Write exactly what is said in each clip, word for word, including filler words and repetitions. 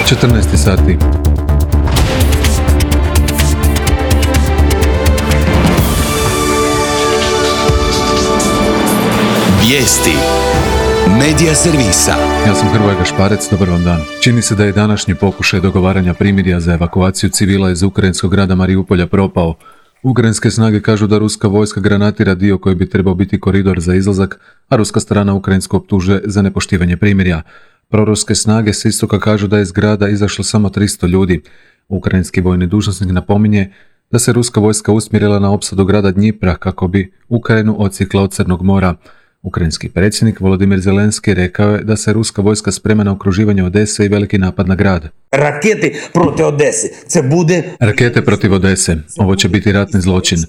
četrnaest sati. Vijesti Medija servisa. Ja sam Hrvoje Gašparec, dobar vam dan. Čini se da je današnji pokušaj dogovaranja primirja za evakuaciju civila iz ukrajinskog grada Mariupolja propao. Ukrajinske snage kažu da ruska vojska granatira dio koji bi trebao biti koridor za izlazak, a ruska strana Ukrajinsku optužuje za nepoštivanje primirja. Proruske snage s istoka kažu da je iz grada izašlo samo tristo ljudi. Ukrajinski vojni dužnosnik napominje da se ruska vojska usmjerila na opsadu grada Dnjipra kako bi Ukrajinu odsjekla od Crnog mora. Ukrajinski predsjednik Volodimir Zelenski rekao je da se ruska vojska sprema na okruživanje Odese i veliki napad na grad. Rakete protiv Odese. Ce bude... Rakete protiv Odese. Ovo će biti ratni zločin.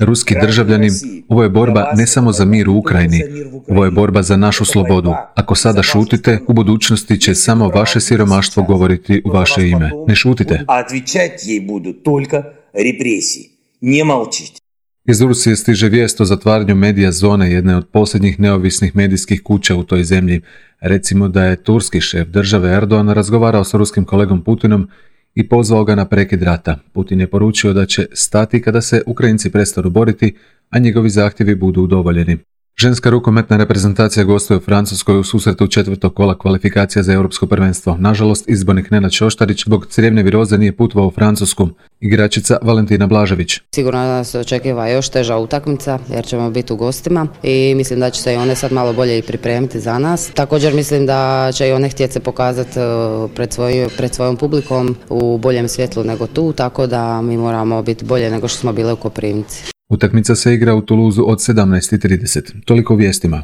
Ruski državljani, ovo je borba ne samo za mir u Ukrajini, ovo je borba za našu slobodu. Ako sada šutite, u budućnosti će samo vaše siromaštvo govoriti u vaše ime. Ne šutite. A отвечать ей будут только репрессии. Не молчите. Iz Rusije stiže vijest o zatvaranju medija zone, jedne od posljednjih neovisnih medijskih kuća u toj zemlji. Recimo da je turski šef države Erdogan razgovarao s ruskim kolegom Putinom i pozvao ga na prekid rata. Putin je poručio da će stati kada se Ukrajinci prestanu boriti, a njegovi zahtjevi budu udovoljeni. Ženska rukometna reprezentacija gostuje u Francuskoj u susretu četvrtog kola kvalifikacija za europsko prvenstvo. Nažalost, izbornik Nenad Šoštarić zbog crijevne viroze nije putovao u Francusku. Igračica Valentina Blažević. Sigurno nas očekiva još teža utakmica jer ćemo biti u gostima i mislim da će se i one sad malo bolje i pripremiti za nas. Također mislim da će i one htjeti se pokazati pred, svoj, pred svojom publikom u boljem svjetlu nego tu, tako da mi moramo biti bolje nego što smo bile u Koprivnici. Utakmica se igra u Tuluzu od sedamnaest i trideset. Toliko u vijestima.